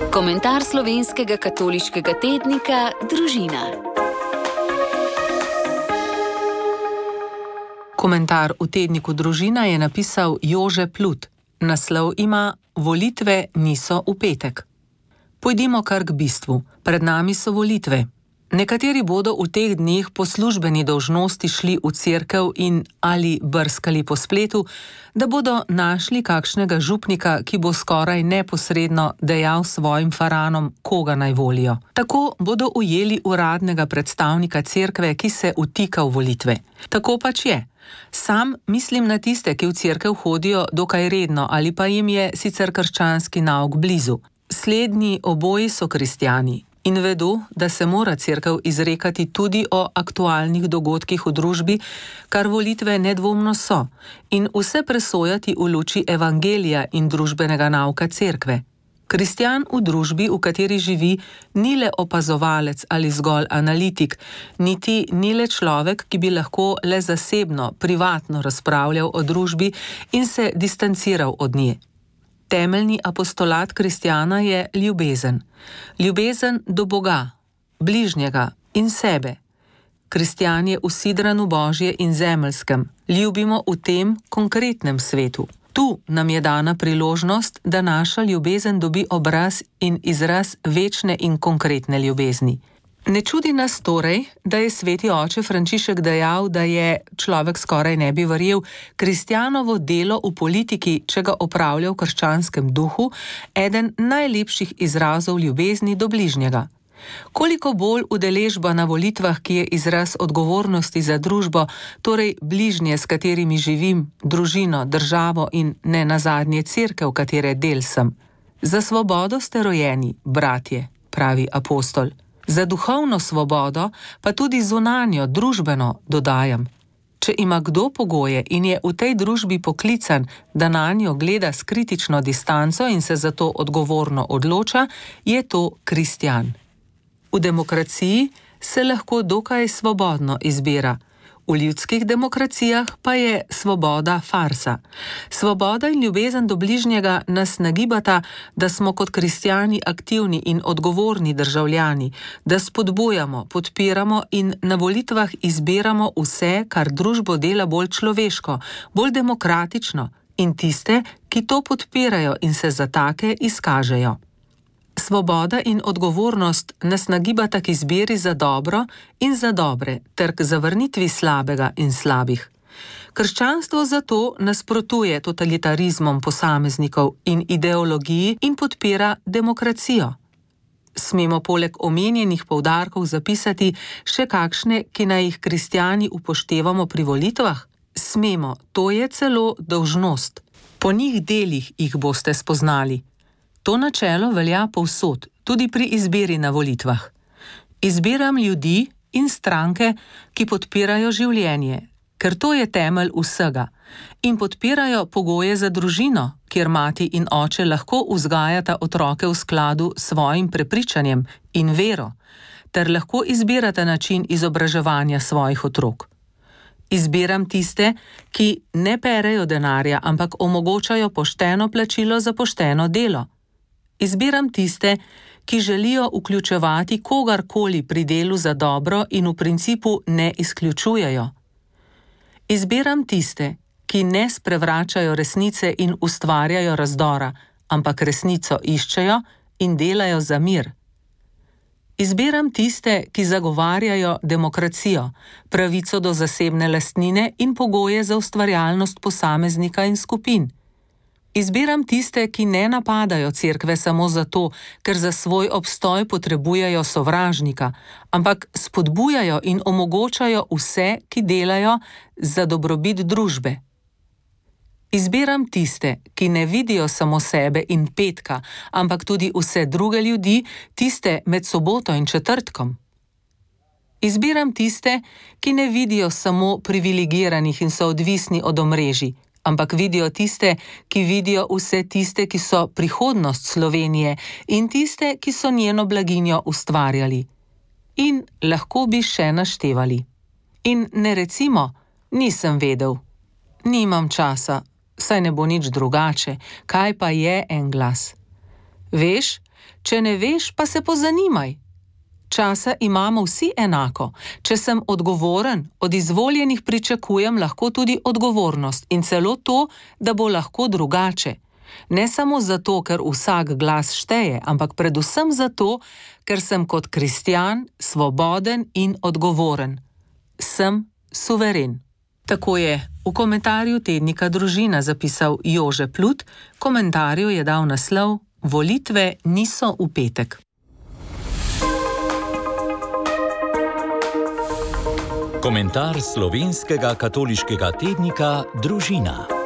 Komentar slovenskega katoliškega tednika Družina. Komentar v tedniku Družina je napisal Jože Plut. Naslov ima Volitve niso v petek. Pojdimo kar k bistvu. Pred nami so volitve. Nekateri bodo v teh dneh po službeni dolžnosti šli v cerkev in ali brskali po spletu, da bodo našli kakšnega župnika, ki bo skoraj neposredno dejal svojim faranom, koga naj volijo. Tako bodo ujeli uradnega predstavnika cerkve, ki se vtika v volitve. Tako pač je. Sam mislim na tiste, ki v cerkev hodijo dokaj redno ali pa jim je sicer krščanski nauk blizu. Slednji oboji so kristjani. In vedo, da se mora cerkev izrekati tudi o aktualnih dogodkih v družbi, kar volitve nedvomno so, in vse presojati v luči evangelija in družbenega nauka cerkve. Kristjan v družbi, v kateri živi, ni le opazovalec ali zgolj analitik, niti ni le človek, ki bi lahko le zasebno, privatno razpravljal o družbi in se distanciral od nje. Temeljni apostolat kristjana je ljubezen. Ljubezen do Boga, bližnjega in sebe. Kristjan je usidran v Božje in zemeljskem. Ljubimo v tem konkretnem svetu. Tu nam je dana priložnost, da naša ljubezen dobi obraz in izraz večne in konkretne ljubezni. Ne čudi nas torej, da je sveti oče Frančišek dejal, da je, človek skoraj ne bi verjel, kristjanovo delo v politiki, če ga opravlja v krščanskem duhu, eden najlepših izrazov ljubezni do bližnjega. Koliko bolj udeležba na volitvah, ki je izraz odgovornosti za družbo, torej bližnje, s katerimi živim, družino, državo in ne nazadnje cerkev, katere del sem. Za svobodo ste rojeni, bratje, pravi apostol. Za duhovno svobodo, pa tudi zunanjo, družbeno, dodajam. Če ima kdo pogoje in je v tej družbi poklican, da nanjo gleda s kritično distanco in se zato odgovorno odloča, je to kristjan. V demokraciji se lahko dokaj svobodno izbira. V ljudskih demokracijah pa je svoboda farsa. Svoboda in ljubezen do bližnjega nas nagibata, da smo kot kristjani aktivni in odgovorni državljani, da spodbujamo, podpiramo in na volitvah izbiramo vse, kar družbo dela bolj človeško, bolj demokratično in tiste, ki to podpirajo in se za take izkažejo. Svoboda in odgovornost nas nagibata k izbiri za dobro in za dobre, ter k zavrnitvi slabega in slabih. Krščanstvo zato nasprotuje totalitarizmom posameznikov in ideologiji in podpira demokracijo. Smemo poleg omenjenih poudarkov zapisati še kakšne, ki naj jih kristjani upoštevamo pri volitvah? Smemo, to je celo dolžnost. Po njih delih jih boste spoznali. To načelo velja povsod, tudi pri izbiri na volitvah. Izbiram ljudi in stranke, ki podpirajo življenje, ker to je temelj vsega, in podpirajo pogoje za družino, kjer mati in oče lahko vzgajata otroke v skladu s svojim prepričanjem in vero, ter lahko izbirata način izobraževanja svojih otrok. Izbiram tiste, ki ne perejo denarja, ampak omogočajo pošteno plačilo za pošteno delo. Izbiram tiste, ki želijo vključevati kogarkoli pri delu za dobro in v principu ne izključujejo. Izbiram tiste, ki ne sprevračajo resnice in ustvarjajo razdora, ampak resnico iščejo in delajo za mir. Izbiram tiste, ki zagovarjajo demokracijo, pravico do zasebne lastnine in pogoje za ustvarjalnost posameznika in skupin. Izbiram tiste, ki ne napadajo cerkve samo zato, ker za svoj obstoj potrebujejo sovražnika, ampak spodbujajo in omogočajo vse, ki delajo za dobrobit družbe. Izbiram tiste, ki ne vidijo samo sebe in petka, ampak tudi vse druge ljudi, tiste med soboto in četrtkom. Izbiram tiste, ki ne vidijo samo privilegiranih in so odvisni od omrežij, ampak vidijo tiste, ki vidijo vse tiste, ki so prihodnost Slovenije in tiste, ki so njeno blaginjo ustvarjali. In lahko bi še naštevali. In ne recimo, nisem vedel, nimam časa, saj ne bo nič drugače, kaj pa je en glas. Veš, Če ne veš, pa se pozanimaj. Časa imamo vsi enako. Če sem odgovoren, od izvoljenih pričakujem lahko tudi odgovornost in celo to, da bo lahko drugače. Ne samo zato, ker vsak glas šteje, ampak predvsem zato, ker sem kot kristjan svoboden in odgovoren. Sem suveren. Tako je v komentarju tednika Družina zapisal Jože Plut, komentarju je dal naslov Volitve niso v petek. Komentar slovenskega katoliškega tednika Družina.